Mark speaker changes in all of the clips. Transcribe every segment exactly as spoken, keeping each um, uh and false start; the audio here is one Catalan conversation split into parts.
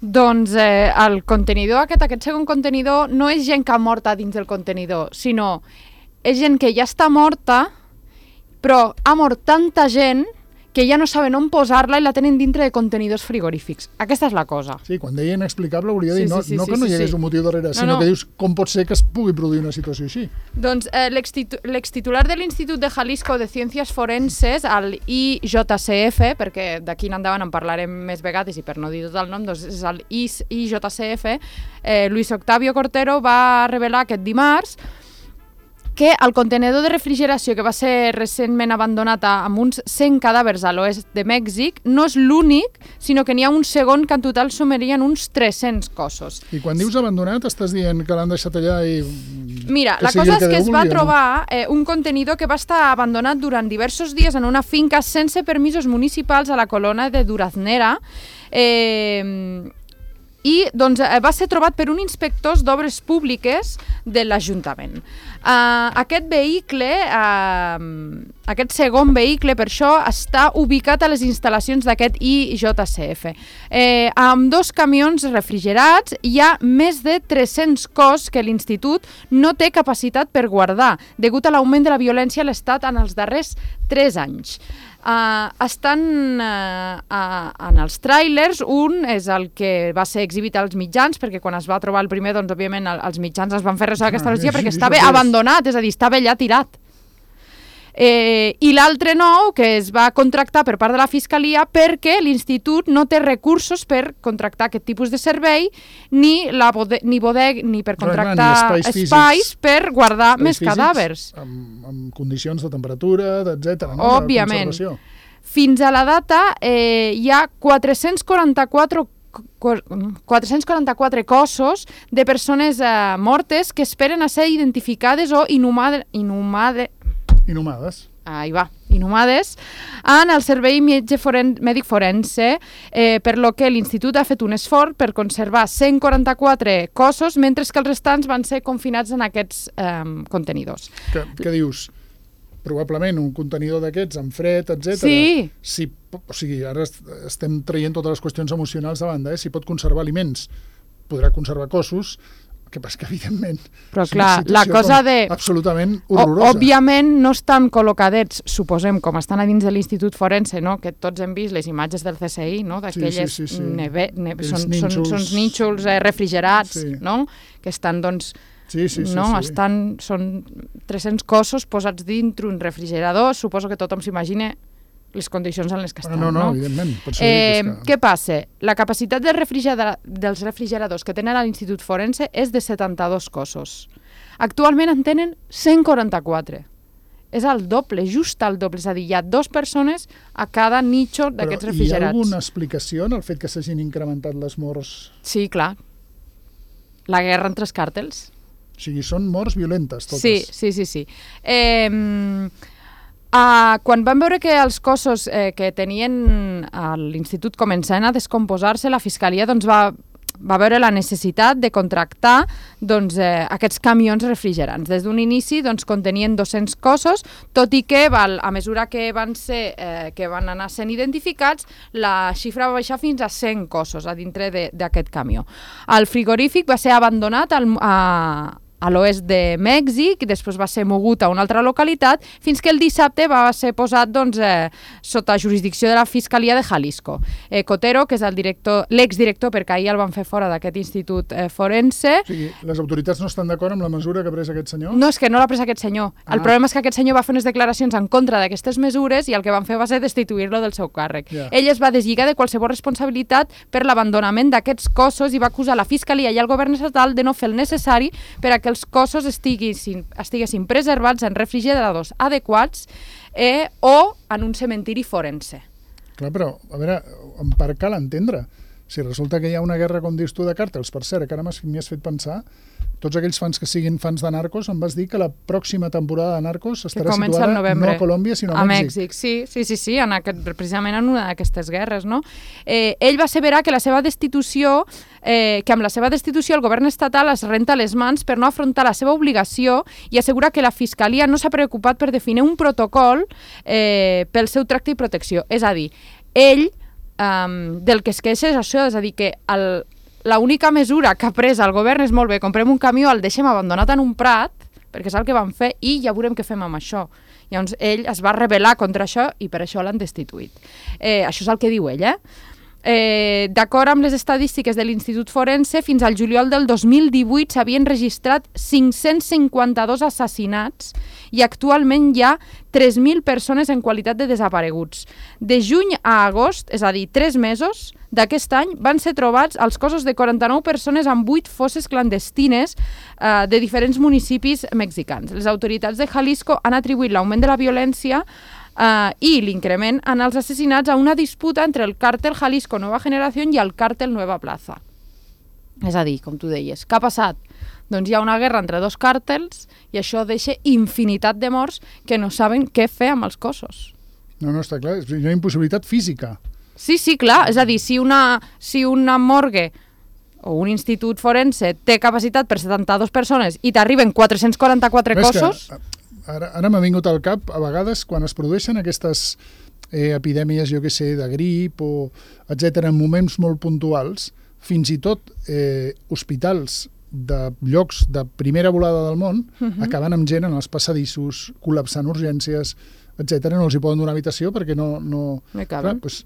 Speaker 1: Doncs eh, el contenidor aquest, aquest segon contenidor, no és gent que ha morta dins del contenidor, sinó és gent que ja està morta, però ha mort tanta gent que ja no saben on posar-la i la tenen dintre de contenidors frigorífics. Aquesta és la cosa.
Speaker 2: Sí, quan deia inexplicable hauria de dir,
Speaker 1: Sí,
Speaker 2: no,
Speaker 1: sí, sí,
Speaker 2: no
Speaker 1: sí,
Speaker 2: que no
Speaker 1: sí,
Speaker 2: hi hagués
Speaker 1: sí.
Speaker 2: un motiu darrere,
Speaker 1: No,
Speaker 2: sinó
Speaker 1: no.
Speaker 2: que dius com pot ser que es pugui produir una situació així.
Speaker 1: Doncs eh, l'extitu- l'extitular de l'Institut de Jalisco de Ciències Forenses, el I J C F, perquè d'aquí en endavant en parlarem més vegades i per no dir tot el nom, doncs és el I J C F, eh, Luis Octavio Cortero va revelar aquest dimarts que el contenedor de refrigeració que va ser recentment abandonat amb uns cent cadàvers a l'oest de Mèxic no és l'únic, sinó que n'hi ha un segon que en total sumarien uns tres-cents cossos.
Speaker 2: I quan dius abandonat estàs dient que l'han deixat allà i...
Speaker 1: Mira, la cosa és que es va trobar eh, un contenidor que va estar abandonat durant diversos dies en una finca sense permisos municipals a la colona de Duraznera, eh, i doncs, va ser trobat per un inspector d'obres públiques de l'Ajuntament. Uh, aquest vehicle, uh, aquest segon vehicle, per això, està ubicat a les instal·lacions d'aquest I J C F. Eh, amb dos camions refrigerats hi ha més de tres-cents cos que l'Institut no té capacitat per guardar, degut a l'augment de la violència a l'Estat en els darrers tres anys. Uh, estan uh, uh, en els tràilers, un és el que va ser exhibit als mitjans, perquè quan es va trobar el primer, doncs òbviament el, els mitjans es van fer ressò d'aquesta notícia perquè estava abandonat, és a dir, estava allà tirat. Eh, I l'altre nou, que es va contractar per part de la Fiscalia perquè l'Institut no té recursos per contractar aquest tipus de servei, ni, la bode ni bodeg, ni per contractar
Speaker 2: no, espais,
Speaker 1: espais per guardar
Speaker 2: espais
Speaker 1: més cadàvers.
Speaker 2: Amb, amb condicions de temperatura, etcètera. No?
Speaker 1: Òbviament. Fins a la data eh, hi ha quatre-cents quaranta-quatre quatre-cents quaranta-quatre cossos de persones eh, mortes que esperen a ser identificades o inhumades, inhumades,
Speaker 2: Inhumades.
Speaker 1: Ahí va, inhumades, en el servei metge foren, mèdic forense, eh, per lo que l'Institut ha fet un esforç per conservar cent quaranta-quatre cossos, mentre que els restants van ser confinats en aquests eh, contenidors.
Speaker 2: Que, que dius? Probablement un contenidor d'aquests, amb fred, etcètera.
Speaker 1: Sí.
Speaker 2: Si, o sigui, ara estem traient totes les qüestions emocionals de banda, eh? Si pot conservar aliments, podrà conservar cossos. El que passa que, evidentment,
Speaker 1: però clar, la cosa de...
Speaker 2: absolutament horrorosa.
Speaker 1: Òbviament no estan col·locadets, suposem, com estan a dins de l'Institut Forense, no? Que tots hem vist les imatges del C S I, no? D'aquelles
Speaker 2: sí, sí, sí, sí.
Speaker 1: neve... Ne... Són,
Speaker 2: nínxols...
Speaker 1: són, són nínxols eh, refrigerats,
Speaker 2: sí.
Speaker 1: No? Que estan, doncs...
Speaker 2: Sí, sí, sí,
Speaker 1: no?
Speaker 2: sí.
Speaker 1: Estan, són tres-cents cossos posats dintre un refrigerador, suposo que tothom s'imagina les condicions en les que estan.
Speaker 2: No, no,
Speaker 1: no?
Speaker 2: evidentment.
Speaker 1: Eh,
Speaker 2: que...
Speaker 1: Què passa? La capacitat del refrigera... dels refrigeradors que tenen a l'Institut Forense és de setanta-dos cossos. Actualment en tenen cent quaranta-quatre. És el doble, just el doble. És a dir, hi ha dues persones a cada nitxo d'aquests refrigerats.
Speaker 2: Però hi ha alguna explicació en el fet que s'hagin incrementat les morts?
Speaker 1: Sí, clar. La guerra entre els càrtels.
Speaker 2: O sigui, són morts violentes, totes.
Speaker 1: Sí, sí, sí. sí. Eh... Uh, quan van veure que els cossos eh, que tenien a l'Institut començaven a descomposar-se, la Fiscalia doncs, va, va veure la necessitat de contractar doncs, eh, aquests camions refrigerants. Des d'un inici doncs, contenien dos-cents cossos, tot i que val, a mesura que van, ser, eh, que van anar sent identificats, la xifra va baixar fins a cent cossos a dintre d'aquest camió. El frigorífic va ser abandonat al, a a l'oest de Mèxic, i després va ser mogut a una altra localitat, fins que el dissabte va ser posat doncs, eh, sota jurisdicció de la Fiscalia de Jalisco. Eh, Cotero, que és el director, l'exdirector, perquè ahir el van fer fora d'aquest institut eh, forense...
Speaker 2: O sigui, les autoritats no estan d'acord amb la mesura que ha pres aquest senyor?
Speaker 1: No, és que no l'ha pres aquest senyor. Ah. El problema és que aquest senyor va fer unes declaracions en contra d'aquestes mesures i el que van fer va ser destituir-lo del seu càrrec. Yeah. Ell es va deslligar de qualsevol responsabilitat per l'abandonament d'aquests cossos i va acusar la Fiscalia i el govern estatal de no fer el necessari per a que els cossos estiguessin, estiguessin preservats en refrigeradors adequats eh, o en un cementiri forense.
Speaker 2: Clar, però, a veure, en part cal entendre. Si resulta que hi ha una guerra, com dius tu, de càrtels, per cert, que ara m'hi has fet pensar, tots aquells fans que siguin fans de Narcos, em vas dir que la pròxima temporada de Narcos estarà situada no a Colòmbia, sinó a,
Speaker 1: a
Speaker 2: Mèxic.
Speaker 1: Mèxic. Sí, sí, sí, sí en aquest, precisament en una d'aquestes guerres. No? Eh, ell va asseverar que la seva destitució, eh, que amb la seva destitució el govern estatal es renta les mans per no afrontar la seva obligació i assegura que la Fiscalia no s'ha preocupat per definir un protocol eh, pel seu tracte i protecció. És a dir, ell um, del que es queixa és això, és a dir, que el, l'única mesura que ha pres el govern és molt bé, comprem un camió, el deixem abandonat en un prat, perquè és el que van fer, i ja veurem què fem amb això. Llavors ell es va rebel·lar contra això i per això l'han destituït. Eh, això és el que diu ell, eh? Eh, d'acord amb les estadístiques de l'Institut Forense, fins al juliol del dos mil divuit s'havien registrat cinc-cents cinquanta-dos assassinats i actualment hi ha tres mil persones en qualitat de desapareguts. De juny a agost, és a dir, tres mesos d'aquest any, van ser trobats els cossos de quaranta-nou persones amb vuit fosses clandestines eh, de diferents municipis mexicans. Les autoritats de Jalisco han atribuït l'augment de la violència Uh, i l'increment en els assassinats a una disputa entre el càrtel Jalisco Nueva Generación i el càrtel Nueva Plaza. És a dir, com tu deies, què ha passat? Doncs hi ha una guerra entre dos càrtels i això deixa infinitat de morts que no saben què fer amb els cossos.
Speaker 2: No, no, està clar, és una impossibilitat física.
Speaker 1: Sí, sí, clar, és a dir, si una, si una morgue o un institut forense té capacitat per setanta-dues persones i t'arriben quatre-cents quaranta-quatre cossos...
Speaker 2: Que, ara ara m'ha vingut al cap, a vegades, quan es produeixen aquestes eh, epidèmies, jo què sé, de grip o etcètera, en moments molt puntuals, fins i tot eh, hospitals de llocs de primera volada del món uh-huh. acaben amb gent en els passadissos, col·lapsant urgències, etcètera. No els hi poden donar habitació perquè no... no clar, doncs,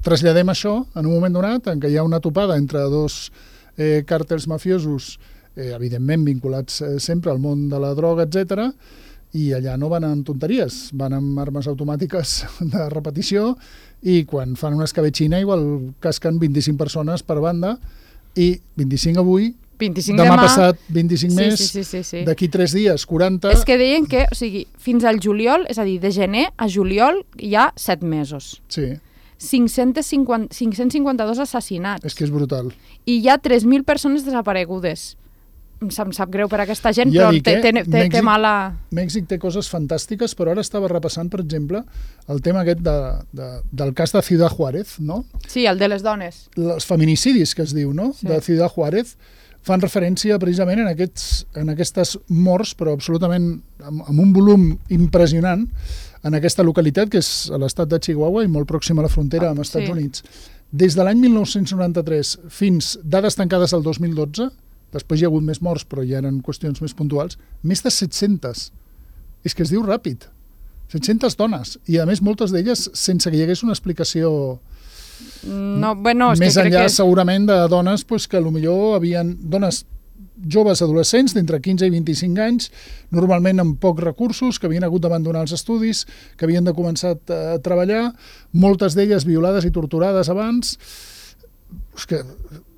Speaker 2: traslladem això en un moment donat en què hi ha una topada entre dos eh, càrtels mafiosos, eh, evidentment vinculats eh, sempre al món de la droga, etcètera, i allà no van amb tonteries, van amb armes automàtiques de repetició i quan fan una escabetxina igual casquen vint-i-cinc persones per banda i vint-i-cinc avui,
Speaker 1: vint-i-cinc
Speaker 2: demà,
Speaker 1: demà
Speaker 2: passat vint-i-cinc
Speaker 1: sí,
Speaker 2: més,
Speaker 1: sí, sí, sí, sí.
Speaker 2: d'aquí tres dies, quaranta...
Speaker 1: És que deien que, o sigui, fins al juliol, és a dir, de gener a juliol hi ha set mesos.
Speaker 2: Sí.
Speaker 1: cinc-cents cinquanta-dos assassinats.
Speaker 2: És que és brutal.
Speaker 1: I hi ha tres mil persones desaparegudes. Em sap, em sap greu per aquesta gent,
Speaker 2: ja
Speaker 1: però
Speaker 2: dic,
Speaker 1: té, té, té,
Speaker 2: Mèxic,
Speaker 1: té mala...
Speaker 2: Mèxic té coses fantàstiques, però ara estava repassant, per exemple, el tema aquest de, de, del cas de Ciudad Juárez, no?
Speaker 1: Sí, el de les dones.
Speaker 2: Els feminicidis, que es diu, no? Sí. De Ciudad Juárez, fan referència precisament en, aquests, en aquestes morts, però absolutament amb, amb un volum impressionant, en aquesta localitat, que és a l'estat de Chihuahua i molt pròxima a la frontera amb els Estats
Speaker 1: sí.
Speaker 2: Units. Des de l'any mil nou-cents noranta-tres fins dades tancades al dos mil dotze, després hi ha hagut més morts, però ja eren qüestions més puntuals, més de set-centes. És que es diu ràpid. set-centes dones. I, a més, moltes d'elles sense que hi hagués una explicació
Speaker 1: no, bueno, és
Speaker 2: més
Speaker 1: que
Speaker 2: enllà,
Speaker 1: crec que...
Speaker 2: segurament, de dones pues, que potser havien... Dones joves adolescents d'entre quinze i vint-i-cinc anys, normalment amb pocs recursos, que havien hagut d'abandonar els estudis, que havien de començar a treballar, moltes d'elles violades i torturades abans. És que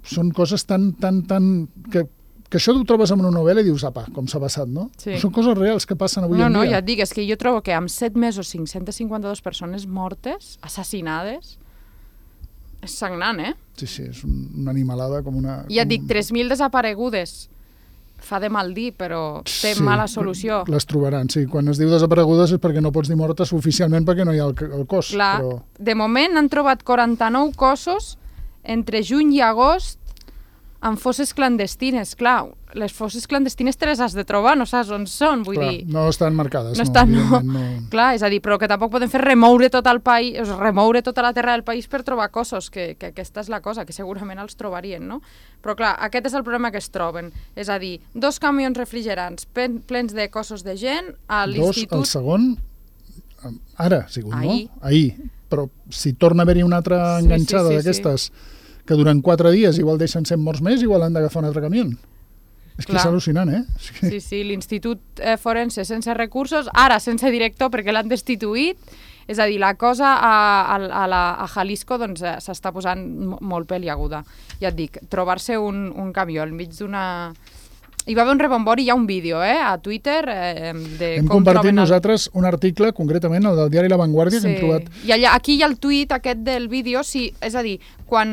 Speaker 2: són coses tan, tan, tan... Que, que això ho trobes en una novel·la i dius, apa, com s'ha passat, no?
Speaker 1: Sí.
Speaker 2: Són coses reals que passen avui
Speaker 1: no,
Speaker 2: en
Speaker 1: no,
Speaker 2: dia.
Speaker 1: No, ja et dic, és que jo trobo que amb set mesos cinc-cents cinquanta-dues persones mortes, assassinades, és sagnant, eh?
Speaker 2: Sí, sí, és una animalada com una...
Speaker 1: Ja et
Speaker 2: com...
Speaker 1: dic, tres mil desaparegudes. Fa de mal dir, però té
Speaker 2: sí,
Speaker 1: mala solució.
Speaker 2: Les trobaran, sí. Quan es diu desaparegudes és perquè no pots dir mortes oficialment perquè no hi ha el, el cos.
Speaker 1: Clar,
Speaker 2: però...
Speaker 1: de moment han trobat quaranta-nou cossos entre juny i agost en fosses clandestines. Clar, les fosses clandestines te les has de trobar, no saps on són, vull
Speaker 2: Clar,
Speaker 1: dir...
Speaker 2: no estan marcades.
Speaker 1: No, estan, no.
Speaker 2: no.
Speaker 1: Clar, és a dir, però que tampoc podem fer remoure tot el país, remoure tota la terra del país per trobar cossos, que, que aquesta és la cosa, que segurament els trobarien, no? Però clar, aquest és el problema que es troben. És a dir, dos camions refrigerants plens de cossos de gent a l'institut...
Speaker 2: Dos, el segon, ara, ha sigut,
Speaker 1: Ahir.
Speaker 2: no? Ahir. Però si torna a haver-hi una altra enganxada
Speaker 1: sí, sí, sí,
Speaker 2: d'aquestes
Speaker 1: sí.
Speaker 2: que durant quatre dies igual deixen cent morts més, igual han d'agafar un altre camió. És que
Speaker 1: Clar.
Speaker 2: és al·lucinant, eh? És que...
Speaker 1: Sí, sí, l'Institut eh, Forense sense recursos, ara sense director perquè l'han destituït, és a dir, la cosa a, a, a, la, a Jalisco doncs, eh, s'està posant molt peliaguda. Ja et dic, trobar-se un, un camió enmig d'una... Hi va haver un rebombori, hi ha un vídeo eh, a Twitter eh, de
Speaker 2: hem
Speaker 1: com
Speaker 2: compartit
Speaker 1: troben el...
Speaker 2: nosaltres un article, concretament el del diari La Vanguardia,
Speaker 1: sí.
Speaker 2: que hem trobat...
Speaker 1: I allà, aquí hi ha el tuit aquest del vídeo, sí, és a dir, quan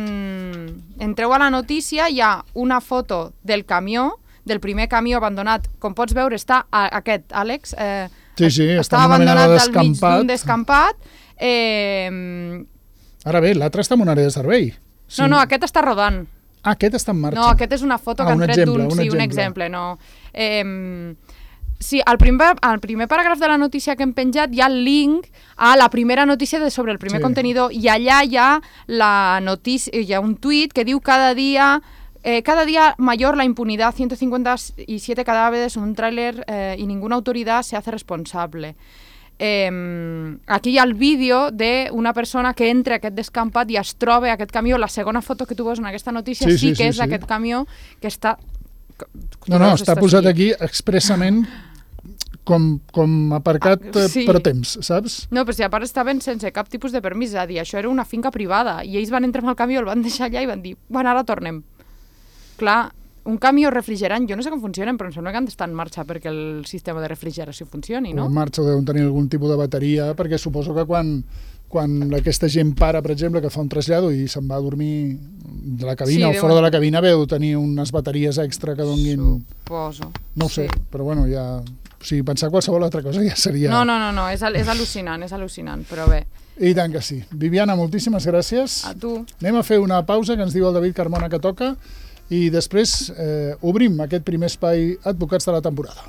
Speaker 1: entreu a la notícia hi ha una foto del camió, del primer camió abandonat, com pots veure està a, aquest, Àlex, eh,
Speaker 2: sí, sí,
Speaker 1: està
Speaker 2: està
Speaker 1: abandonat al mig d'un descampat. Eh...
Speaker 2: Ara bé, l'altre està en una àrea de servei.
Speaker 1: Sí. No, no, aquest està rodant.
Speaker 2: Ah, aquest està en marxa.
Speaker 1: No, aquest és una foto
Speaker 2: ah,
Speaker 1: que han tret d'un...
Speaker 2: Un
Speaker 1: sí,
Speaker 2: exemple.
Speaker 1: un exemple, no. Eh, Sí, al primer, al primer paràgraf de la notícia que hem penjat hi ha el link a la primera notícia de sobre el primer sí. contenidor i allà hi ha, la notícia, hi ha un tuit que diu cada dia eh, cada día mayor la impunidad, ciento cincuenta y siete cadáveres en un tráiler eh, y ninguna autoridad se hace responsable. Eh, aquí hi ha el vídeo d'una persona que entra a aquest descampat i es troba aquest camió. La segona foto que tu veus en aquesta notícia sí, sí, sí que sí, és sí. d'aquest camió que està...
Speaker 2: No, no, està posat aquí expressament com, com aparcat ah, sí. per temps, saps?
Speaker 1: No, però si a part estaven sense cap tipus de permís, és a dir, això era una finca privada i ells van entrar amb el camió, el van deixar allà i van dir, bueno, ara tornem. Clar, un camió refrigerant, jo no sé com funcionen, però em sembla que han d'estar en marxa perquè el sistema de refrigeració funcioni, no?
Speaker 2: O en marxa deuen tenir algun tipus de bateria, perquè suposo que quan, quan aquesta gent para, per exemple, que fa un trasllado i se'n va a dormir de la cabina sí, o fora de la cabina, veu tenir unes bateries extra que donguin...
Speaker 1: Suposo.
Speaker 2: No ho sé,
Speaker 1: sí.
Speaker 2: però bueno, ja... O sigui, pensar qualsevol altra cosa ja seria...
Speaker 1: No, no, no, no. És, al és al·lucinant, és al·lucinant, però bé.
Speaker 2: I tant que sí. Viviana, moltíssimes gràcies.
Speaker 1: A tu.
Speaker 2: Anem a fer una pausa que ens diu el David Carmona que toca i després eh, obrim aquest primer espai Advocats de la temporada.